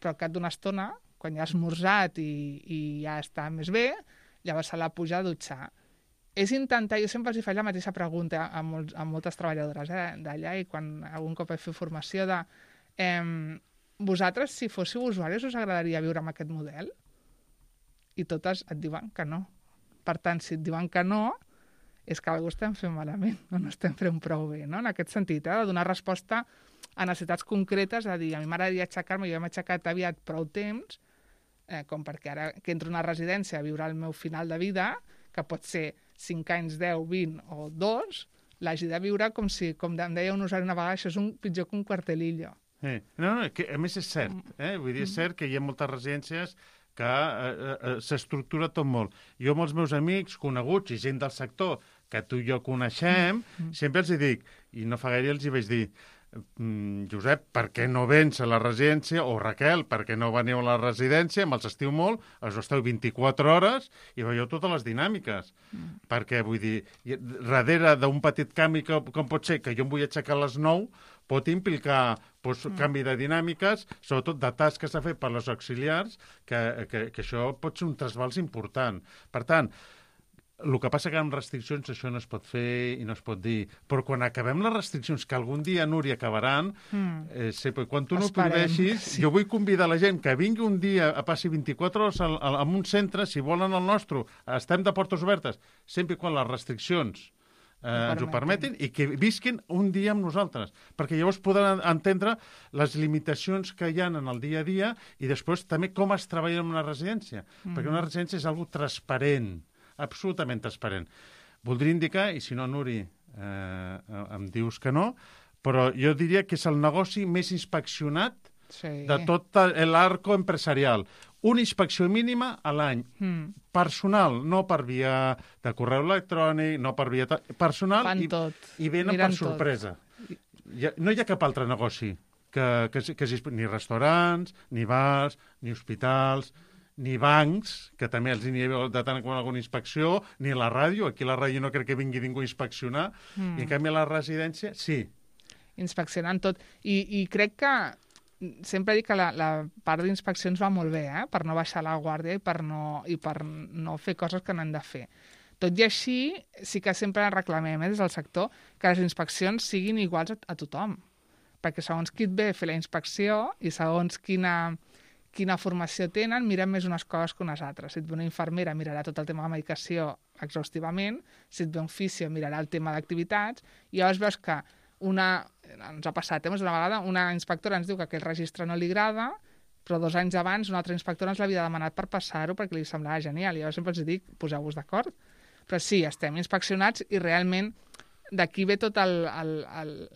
però al cap d'una estona, quan ja ha esmorzat i, i ja està més bé, llavors se la puja a dutxar. És intentar, jo sempre els faig la mateixa pregunta a, molts, a moltes treballadores eh, d'allà i quan algun cop he fet formació de eh, vosaltres, si fóssiu usuaris, us agradaria viure amb aquest model? I totes et diuen que no. Per tant, si et diuen que no, és que algú estem fent malament, no, no estem fent prou bé, no? En aquest sentit, eh, de donar resposta a necessitats concretes, de dir, a mi m'agradaria aixecar-me, jo m'he aixecat aviat prou temps, eh, com perquè ara que entro a una residència a viure el meu final de vida, que pot ser cinc anys, deu, vint o dos, l'hagi de viure com si, com em deia un usuari una vegada, això és un pitjor que un quartelillo. Eh. No, no, que a més és cert, eh? Vull dir, és cert que hi ha moltes residències que eh, eh, s'estructura tot molt. Jo amb els meus amics, coneguts i gent del sector que tu i jo coneixem, mm. sempre els hi dic, i no fa gaire els hi vaig dir, Mm, Josep, per què no vens a la residència? O Raquel, per què no veniu a la residència? Me'ls estiu molt, els esteu vint-i-quatre hores i veieu totes les dinàmiques. Mm. Perquè, vull dir, darrere d'un petit canvi que, com pot ser que jo em vull aixecar a les nou, pot implicar doncs, mm. canvi de dinàmiques, sobretot de tasques a fer per les auxiliars, que, que, que això pot ser un trasbals important. Per tant, el que passa que amb restriccions això no es pot fer i no es pot dir. Però quan acabem les restriccions, que algun dia, Núria, acabaran, mm. eh, sé, quan tu no ho prohibeixis, sí. Jo vull convidar la gent que vingui un dia a passi vint-i-quatre hores al, al, en un centre, si volen el nostre, estem de portes obertes, sempre quan les restriccions eh, ens ho permetin i que visquin un dia amb nosaltres, perquè llavors podran entendre les limitacions que hi ha en el dia a dia i després també com es treballa en una residència, mm. perquè una residència és algo transparent, absolutament transparent. Voldria indicar, i si no, Nuri, eh, em dius que no, però jo diria que és el negoci més inspeccionat Sí. de tot l'arco empresarial. Una inspecció mínima a l'any. Mm. Personal, no per via de correu electrònic, no per via... Personal Fan i, tot. i venen Miren per sorpresa. Hi ha, no hi ha cap altre negoci, que, que, que, que ni restaurants, ni bars, ni hospitals, ni bancs, que també els n'hi ha de tant com alguna inspecció, ni la ràdio. Aquí la ràdio no crec que vingui ningú a inspeccionar, mm. i en canvi a la residència, sí. Inspeccionant tot. I, i crec que sempre dic que la, la part d'inspeccions va molt bé, eh? Per no baixar la guàrdia i per no, i per no fer coses que no han de fer. Tot i així, sí que sempre reclamem eh, des del sector que les inspeccions siguin iguals a, a tothom. Perquè segons qui et ve a fer la inspecció i segons quina, quina formació tenen, miren més unes coses que unes altres. Si et ve una infermera, mirarà tot el tema de medicació exhaustivament, si et ve un fisio, mirarà el tema d'activitats, i llavors veus que una, ens ha passat, eh? Una vegada una inspectora ens diu que aquell registre no li agrada, però dos anys abans una altra inspectora ens l'havia demanat per passar-ho perquè li semblava genial. I jo sempre els dic, poseu-vos d'acord. Però sí, estem inspeccionats i realment d'aquí ve tot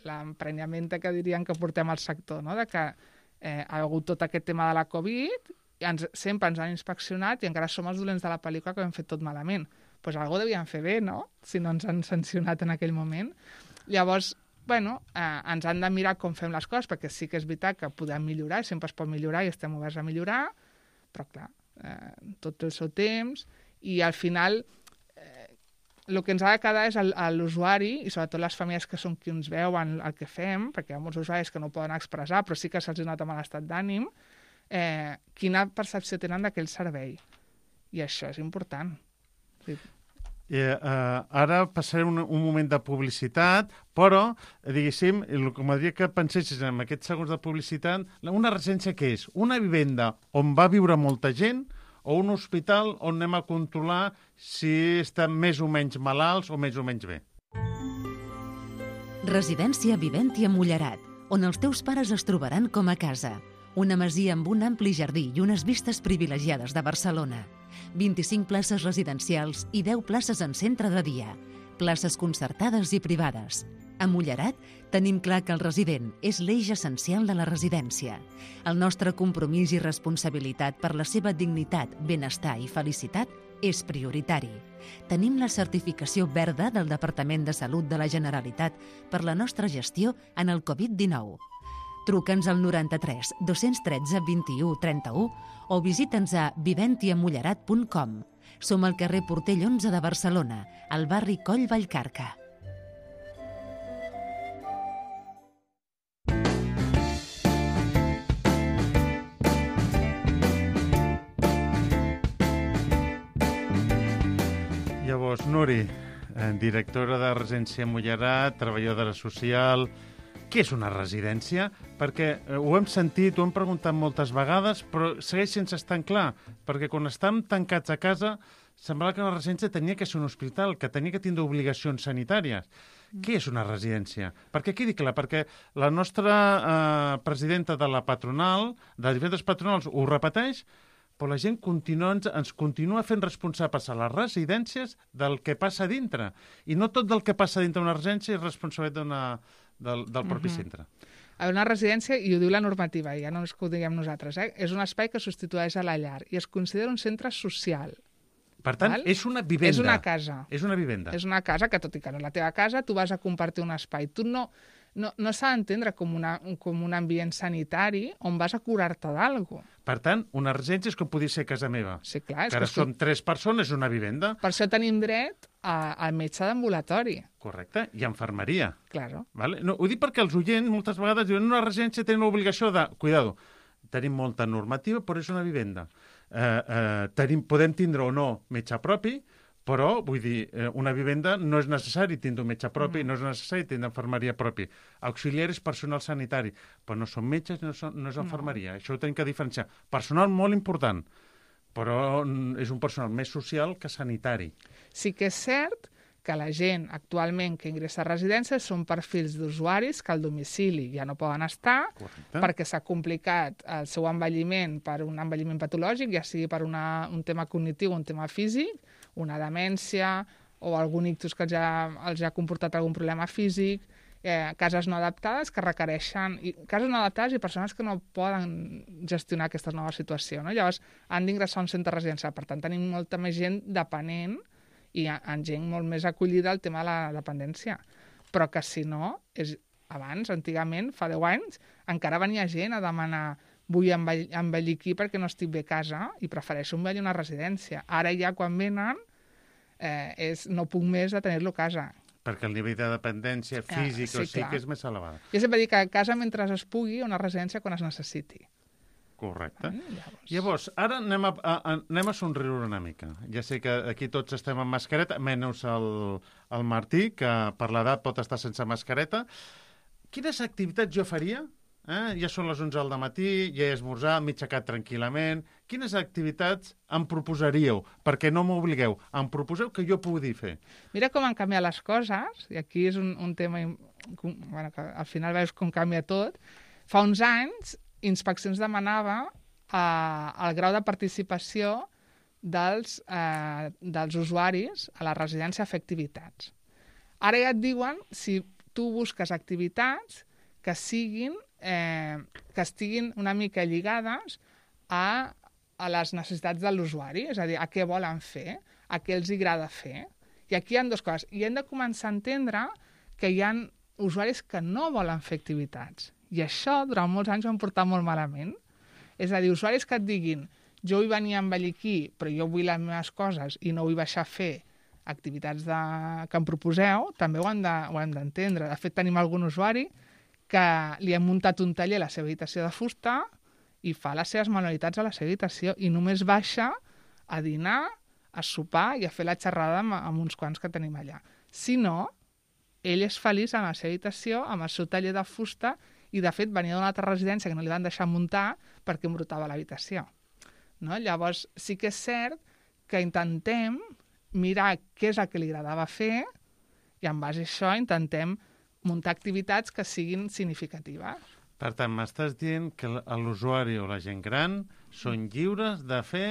l'emprenyament que dirien que portem al sector, no? De que eh, ha hagut tot aquest tema de la Covid, i ens, sempre ens han inspeccionat i encara som els dolents de la pel·lícula que hem fet tot malament. Doncs pues alguna cosa devien fer bé, no? Si no ens han sancionat en aquell moment. Llavors, bueno, eh, ens han de mirar com fem les coses, perquè sí que és veritat que podem millorar, sempre es pot millorar i estem oberts a millorar, però clar, eh, tot el seu temps, i al final eh, el que ens ha de quedar és l'usuari, i sobretot les famílies que són qui ens veuen el que fem, perquè hi ha molts usuaris que no poden expressar, però sí que se'ls nota mal estat d'ànim, eh, quina percepció tenen d'aquell servei. I això és important. Sí. Eh, uh, ara passaré un, un moment de publicitat, però, diguéssim, el que m'agradaria que pensessis en aquests segons de publicitat, una residència què és? Una vivenda on va viure molta gent o un hospital on anem a controlar si estan més o menys malalts o més o menys bé? Residència Viventia Mullerat, on els teus pares es trobaran com a casa. Una masia amb un ampli jardí i unes vistes privilegiades de Barcelona. vint-i-cinc places residencials i deu places en centre de dia. Places concertades i privades. A Mullerat tenim clar que el resident és l'eix essencial de la residència. El nostre compromís i responsabilitat per la seva dignitat, benestar i felicitat és prioritari. Tenim la certificació verda del Departament de Salut de la Generalitat per la nostra gestió en el Covid dinou. Truca'ns al noranta-tres dos-cents tretze vint-i-u trenta-u o visita'ns a viventia mullerat punt com. Som al carrer Portell onze de Barcelona, al barri Coll Vallcarca. Llavors, Nuri, directora de Residència Mullerat, treballadora social... Què és una residència? Perquè eh, ho hem sentit, ho hem preguntat moltes vegades, però segueix sense estar clar, perquè quan estem tancats a casa semblava que la residència tenia que ser un hospital, que tenia que tindre obligacions sanitàries. Mm. Què és una residència? Perquè quedi clar, perquè la nostra eh, presidenta de la patronal, de diferents patronals, ho repeteix, però la gent continua, ens, ens continua fent responsables a les residències del que passa dintre. I no tot del que passa dintre d'una residència és responsabilitat d'una... del, del propi uh-huh. centre. Una residència, i ho diu la normativa, ja no és que ho diguem nosaltres, eh? És un espai que substitueix a la llar i es considera un centre social. Per tant, val? És una vivenda. És una casa. És una vivenda. És una casa que, tot i que no és la teva casa, tu vas a compartir un espai. Tu no, no, no s'ha d'entendre com, una, com un ambient sanitari on vas a curar-te d'algú. Per tant, una residència és com podria ser casa meva. Sí, clar. Que ara som tu... tres persones, és una vivenda. Per això tenim dret al metge d'ambulatori. Correcte, i infermeria. Claro. Vale? No, ho dic perquè els oients moltes vegades diuen una residència té l'obligació de... Cuidado, tenim molta normativa, però és una vivenda. Eh, eh, tenim, podem tindre o no metge propi, però, vull dir, eh, una vivenda no és necessari tindre un metge propi, mm. no és necessari tindre infermeria propi. Auxiliar és personal sanitari, però no són metges, no, són, no és infermeria. No. Això ho tenim que diferenciar. Personal molt important, però és un personal més social que sanitari. Sí que és cert que la gent actualment que ingressa a residències són perfils d'usuaris que al domicili ja no poden estar. Correcte. Perquè s'ha complicat el seu envelliment per un envelliment patològic, ja sigui per una, un tema cognitiu o un tema físic, una demència o algun ictus que els ha, els ha comportat algun problema físic, eh, cases no adaptades que requereixen... I, cases no adaptades i persones que no poden gestionar aquesta nova situació, no? Llavors, han d'ingressar a un centre residencial. Per tant, tenim molta més gent dependent i en gent molt més acollida al tema de la dependència. Però que, si no, és, abans, antigament, fa deu anys, encara venia gent a demanar vull envell envellir aquí perquè no estic bé a casa i prefereixo envellir una residència. Ara ja, quan venen, eh, és, no puc més de tenir-lo a casa. Perquè el nivell de dependència físic ah, sí, o psíquic és més elevat. Jo sempre dic que a casa mentre es pugui, una residència quan es necessiti. Correcte. Mm, llavors. llavors, ara anem a, a, anem a somriure una mica. Ja sé que aquí tots estem amb mascareta, menys el, el Martí, que per l'edat pot estar sense mascareta. Quines activitats jo faria? Eh? Ja són les onze del matí, ja he esmorzat, m'he aixecat tranquil·lament. Quines activitats em proposaríeu? Perquè no m'obligueu, em proposeu que jo pugui fer. Mira com han canviat les coses, i aquí és un, un tema bueno, que al final veus com canvia tot. Fa uns anys, Inspeccions demanava eh, el grau de participació dels, eh, dels usuaris a la residència a fer activitats. Ara ja et diuen si tu busques activitats que siguin eh, que estiguin una mica lligades a, a les necessitats de l'usuari, és a dir, a què volen fer, a què els agrada fer. I aquí hi ha dues coses. I hem de començar a entendre que hi ha usuaris que no volen fer activitats. I això, durant molts anys, ho han portat molt malament. És a dir, usuaris que et diguin jo vull venir a envellir aquí, però jo vull les meves coses i no vull baixar a fer activitats de, que em proposeu, també ho hem d'entendre. De, de fet, tenim algun usuari que li hem muntat un taller a la seva habitació de fusta i fa les seves manualitats a la seva habitació i només baixa a dinar, a sopar i a fer la xerrada amb, amb uns quants que tenim allà. Si no, ell és feliç a la seva habitació, amb el seu taller de fusta i, de fet, venia d'una altra residència que no li van deixar muntar perquè embrutava l'habitació. No? Llavors, sí que és cert que intentem mirar què és el que li agradava fer i, en base a això, intentem muntar activitats que siguin significatives. Per tant, m'estàs dient que l'usuari o la gent gran són lliures de fer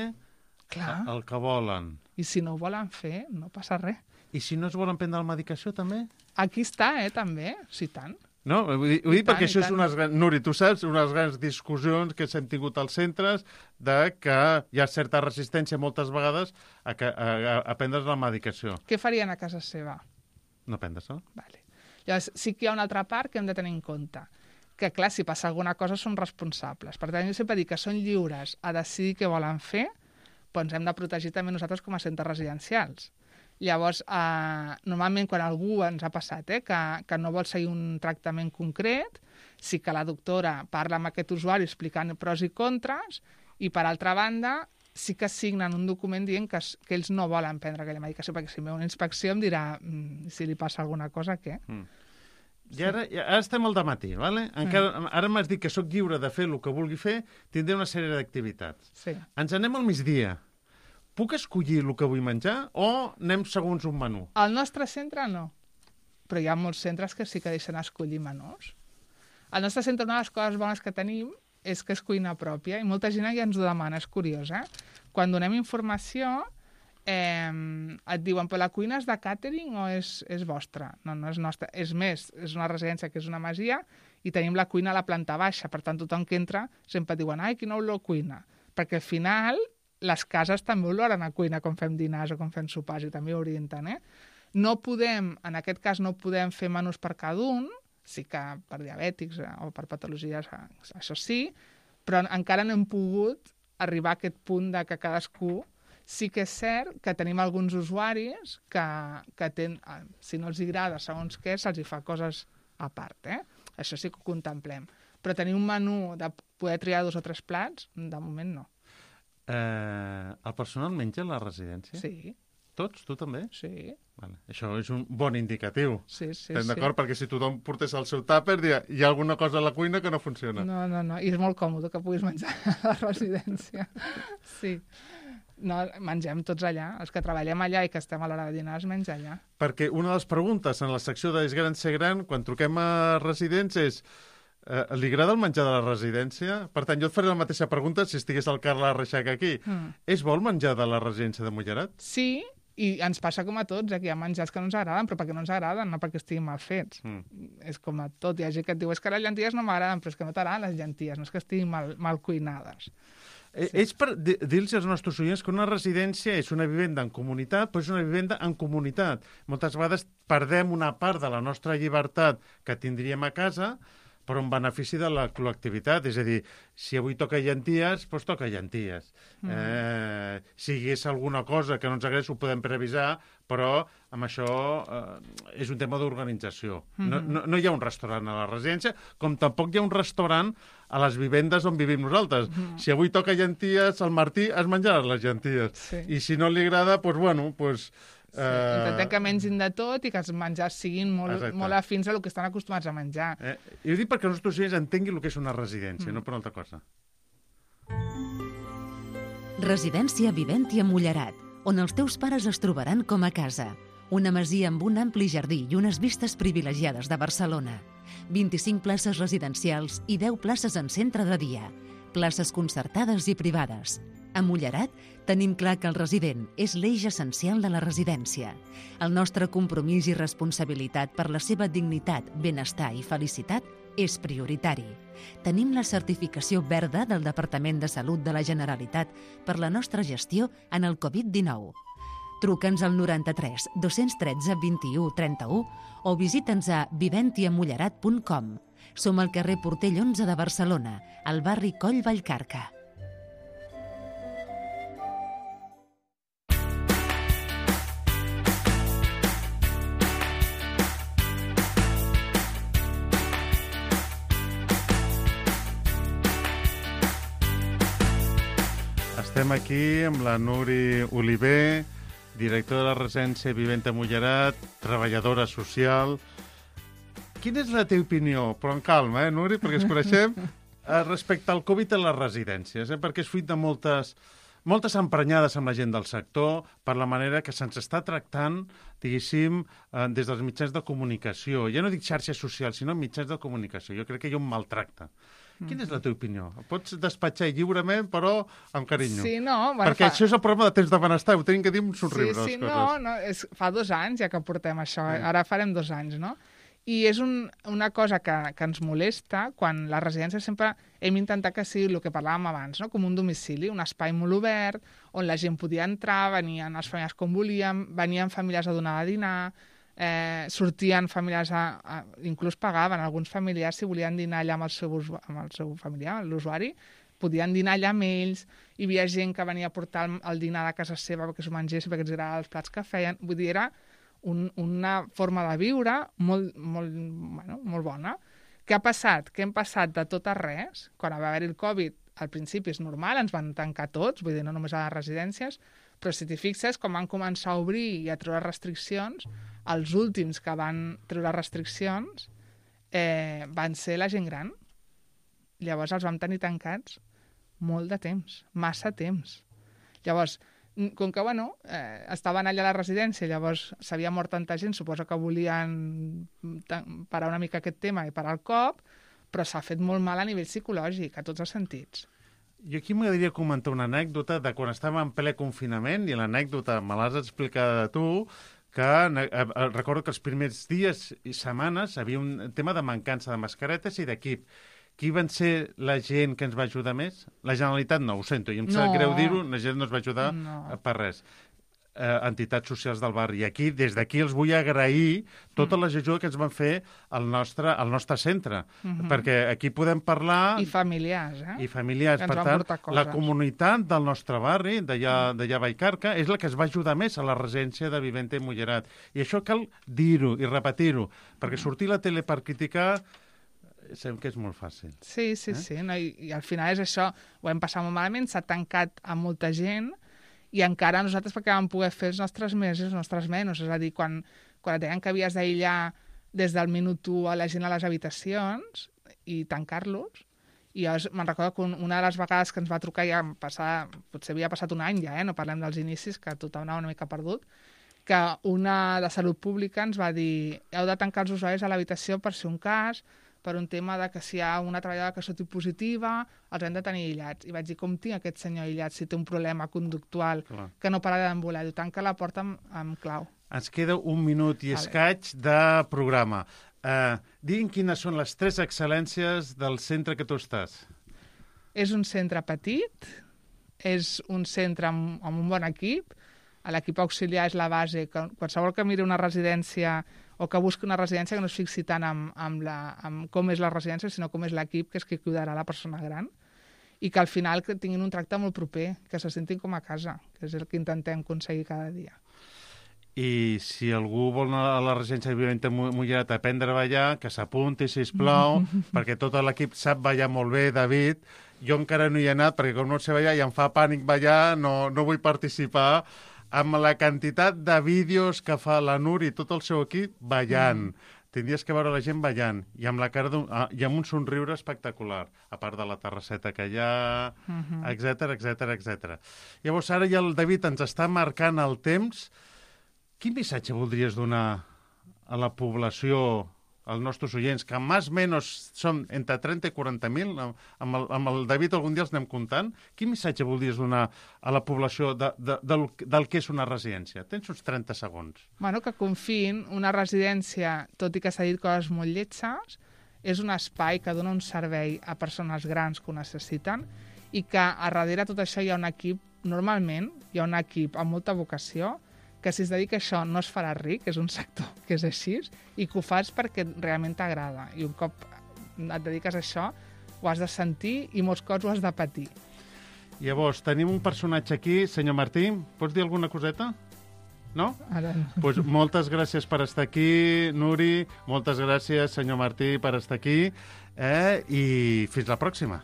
Clar. el que volen. I si no ho volen fer, no passa res. I si no es volen prendre la medicació, també? Aquí està, eh, també, sí, tant. No, vull dir, vull dir tant, perquè això tant. és unes... Nuri, tu saps, unes grans discussions que s'han tingut als centres de que hi ha certa resistència moltes vegades a, que, a, a, a prendre's la medicació. Què farien a casa seva? No prendre-se? Vale. Llavors, sí que hi ha una altra part que hem de tenir en compte, que, clar, si passa alguna cosa són responsables. Per tant, jo sempre dic que són lliures a decidir què volen fer, però ens hem de protegir també nosaltres com a centres residencials. Llavors, eh, normalment quan algú ens ha passat eh, que, que no vol seguir un tractament concret, sí que la doctora parla amb aquest usuari explicant pros i contres, i per altra banda sí que signen un document dient que, que ells no volen prendre aquella medicació, perquè si em ve una inspecció em dirà mm, si li passa alguna cosa, què? Mm. I ara, ara estem al dematí, ¿vale? Encara, mm. ara m'has dit que sóc lliure de fer el que vulgui fer, tindré una sèrie d'activitats. Sí. Ens anem al migdia. Puc escollir el que vull menjar o anem segons un menú? Al nostre centre no, però hi ha molts centres que sí que deixen escollir menús. Al nostre centre una de les coses bones que tenim és que és cuina pròpia, i molta gent ja ens ho demana, és curiós, eh? Quan donem informació, eh, et diuen, però la cuina és de càtering o és, és vostra? No, no és nostra. És més, és una residència que és una masia i tenim la cuina a la planta baixa, per tant, tothom que entra sempre diuen, ai, quina olor cuina, perquè al final les cases també oloren a cuina quan fem dinars o quan fem sopars i també orienten, eh? No podem, en aquest cas no podem fer menús per cada un, sí que per diabètics eh, o per patologies, eh, això sí, però encara no hem pogut arribar a aquest punt de que cadascú... Sí que és cert que tenim alguns usuaris que, que ten, eh, si no els agrada segons què, se'ls fa coses a part, eh? Això sí que ho contemplem. Però tenir un menú de poder triar dos o tres plats, de moment no. Eh, el personal menja a la residència? Sí. Tots? Tu també? Sí. Vale. Això és un bon indicatiu. Sí, sí, Estem sí. d'acord? Perquè si tothom portés el seu tàper, hi ha, hi ha alguna cosa a la cuina que no funciona. No, no, no. I és molt còmode que puguis menjar a la residència. Sí. No, mengem tots allà. Els que treballem allà i que estem a l'hora de dinar es menja allà. Perquè una de les preguntes en la secció de És gran ser gran, quan truquem a residents, és eh, li agrada el menjar de la residència? Per tant, jo et faré la mateixa pregunta si estigués el Carles Reixac aquí. Mm. És bo el menjar de la residència de Mollerat? Sí, I ens passa com a tots, eh, que hi ha menjars que no ens agraden, però perquè no ens agraden, no perquè estiguin mal fets. Mm. És com a tot. Hi ha gent que et diu, és que les llenties no m'agraden, però és que no t'agraden les llenties, no és que estiguin mal, mal cuinades. Sí. És per dir-los als nostres oients que una residència és una vivenda en comunitat, però és una vivenda en comunitat. Moltes vegades perdem una part de la nostra llibertat que tindríem a casa per un benefici de la col·lectivitat. És a dir, si avui toca llenties, doncs toca llenties. Mm. Eh, si hi hagués alguna cosa que no ens agradés, ho podem previsar, però amb això eh, és un tema d'organització. Mm-hmm. No, no, no hi ha un restaurant a la residència, com tampoc hi ha un restaurant a les vivendes on vivim nosaltres. Mm. Si avui toca llenties, el Martí es menjarà les llenties. Sí. I si no li agrada, doncs, bueno, doncs... Sí, intentem que mengin de tot i que els menjars siguin molt, molt afins a el que estan acostumats a menjar. Eh, I ho dic perquè els nostres oients entenguin el que és una residència, mm. no per una altra cosa. Residència Viventi a Mullerat, on els teus pares es trobaran com a casa. Una masia amb un ampli jardí i unes vistes privilegiades de Barcelona. vint-i-cinc places residencials i deu places en centre de dia. Places concertades i privades. A Mullerat tenim clar que el resident és l'eix essencial de la residència. El nostre compromís i responsabilitat per la seva dignitat, benestar i felicitat és prioritari. Tenim la certificació verda del Departament de Salut de la Generalitat per la nostra gestió en el covid dinou. Truca'ns al noranta-tres dos-cents tretze vint-i-u trenta-u o visita'ns a viventiamullerat punt com. Som al carrer Portell onze de Barcelona, al barri Coll Vallcarca. Estem aquí amb la Nuri Oliver, directora de la residència Viventi a Mullerat, treballadora social. Quina és la teva opinió? Però en calma, eh, Nuri, perquè ens coneixem, respecte al Covid a les residències, eh, perquè és fruit de moltes, moltes emprenyades amb la gent del sector per la manera que se'ns està tractant, diguéssim, eh, des dels mitjans de comunicació. Ja no dic xarxes socials, sinó mitjans de comunicació. Jo crec que hi ha un maltracte. Quina és la teva opinió? Pots despatxar lliurement, però amb carinyo. Sí, no... Bueno, perquè fa... això és el problema de temps de benestar, ho tenim que dir amb somriure. Sí, sí, no, no és, fa dos anys ja que portem això, sí. Ara farem dos anys, no? I és un, una cosa que, que ens molesta quan la residència sempre hem intentat que sigui el que parlàvem abans, no? Com un domicili, un espai molt obert, on la gent podia entrar, venien els familiars com volien, venien famílies a donar a dinar, Eh, sortien familiars, a, a, inclús pagaven alguns familiars si volien dinar allà amb el seu, amb el seu familiar, l'usuari, podien dinar allà amb ells, hi havia gent que venia a portar el, el dinar de casa seva perquè s'ho mengés, perquè els agradava els plats que feien, vull dir, era un, una forma de viure molt, molt, bueno, molt bona. Què ha passat? Què hem passat de tot a res? Quan va haver-hi el Covid, al principi és normal, ens van tancar tots, vull dir, no només a les residències, però si t'hi fixes, quan van començar a obrir i a treure restriccions, els últims que van treure restriccions eh, van ser la gent gran. Llavors els vam tenir tancats molt de temps, massa temps. Llavors, com que, bueno, eh, estaven allà a la residència, llavors s'havia mort tanta gent, suposo que volien parar una mica aquest tema i parar el cop, però s'ha fet molt mal a nivell psicològic, a tots els sentits. Jo aquí m'agradaria comentar una anècdota de quan estàvem en ple confinament, i l'anècdota me l'has explicat tu, que eh, recordo que els primers dies i setmanes havia un tema de mancança de mascaretes i d'equip. Qui van ser la gent que ens va ajudar més? La Generalitat no, ho sento, i em sap No. greu dir-ho, la gent no es va ajudar No. per res. Eh, entitats socials del barri. I aquí, des d'aquí, els vull agrair tota la ajuda que ens van fer al nostre, al nostre centre, Mhm. perquè aquí podem parlar... I familiars, eh? I familiars. Que ens Per van tant, portar coses. la comunitat del nostre barri, d'allà d'allà a Vallcarca, és la que es va ajudar més a la residència de Viventi a Mullerat. I això cal dir-ho i repetir-ho, perquè sortir a la tele per criticar sabem que és molt fàcil. Sí, sí, Eh? sí. No? I, I al final és això, ho hem passat molt malament, s'ha tancat a molta gent i encara nosaltres perquè vam poder fer els nostres més i els nostres menys. És a dir, quan, quan et deien que havies d'aïllar des del minut u a la gent a les habitacions i tancar-los, i llavors me'n recordo que una de les vegades que ens va trucar ja passar, potser havia passat un any ja, eh? No parlem dels inicis, que tothom anava una mica perdut, que una de Salut Pública ens va dir heu de tancar els usuaris a l'habitació per si un cas, per un tema de que si hi ha una treballadora que soti positiva, els hem de tenir aïllats. I vaig dir, com tinc aquest senyor aïllat si té un problema conductual Clar. que no para d'embolar? Diu, tanca la porta amb, amb clau. Ens queda un minut i Vale. escaig de programa. Uh, diguin quines són les tres excel·lències del centre que tu estàs. És un centre petit, és un centre amb, amb un bon equip, l'equip auxiliar és la base, que qualsevol que miri una residència o que busqui una residència que no es fixi tant amb, amb, la, amb com és la residència, sinó com és l'equip, que és qui cuidarà la persona gran, i que al final que tinguin un tracte molt proper, que se sentin com a casa, que és el que intentem aconseguir cada dia. I si algú vol anar a la residència de Violenta Mollet a aprendre a ballar, que s'apunti, sisplau, perquè tot l'equip sap ballar molt bé, David. Jo encara no hi he anat, perquè com no sé ballar i em fa pànic ballar, no, no vull participar. Amb la quantitat de vídeos que fa la Núria i tot el seu equip ballant. Mm. Tindries que veure la gent ballant i amb la cara d'un, ah, i amb un somriure espectacular, a part de la terrasseta que hi ha, etcètera, etcètera, etcètera. Llavors, ara ja el David ens està marcant el temps. Quin missatge voldries donar a la població, als nostres oients, que més o menys són entre trenta i quaranta mil, amb el, amb el David algun dia els anem comptant, quin missatge voldries donar a la població de, de, del, del que és una residència? Tens uns trenta segons. Bueno, que confiïn, una residència, tot i que s'ha dit coses molt lletges, és un espai que dona un servei a persones grans que ho necessiten i que a darrere tot això hi ha un equip, normalment hi ha un equip amb molta vocació, que si es dedica a això no es farà ric, és un sector que és així, i que ho fas perquè realment t'agrada. I un cop et dediques a això, ho has de sentir i molts cops ho has de patir. Llavors, tenim un personatge aquí, senyor Martí, pots dir alguna coseta? No? Ara no. Pues moltes gràcies per estar aquí, Nuri, moltes gràcies, senyor Martí, per estar aquí, eh? I fins la pròxima.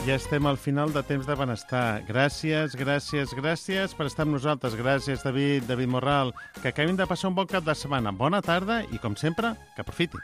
Ja estem al final de Temps de Benestar. Gràcies, gràcies, gràcies per estar amb nosaltres. Gràcies, David, David Morral. Que acabin de passar un bon cap de setmana. Bona tarda i, com sempre, que aprofiti.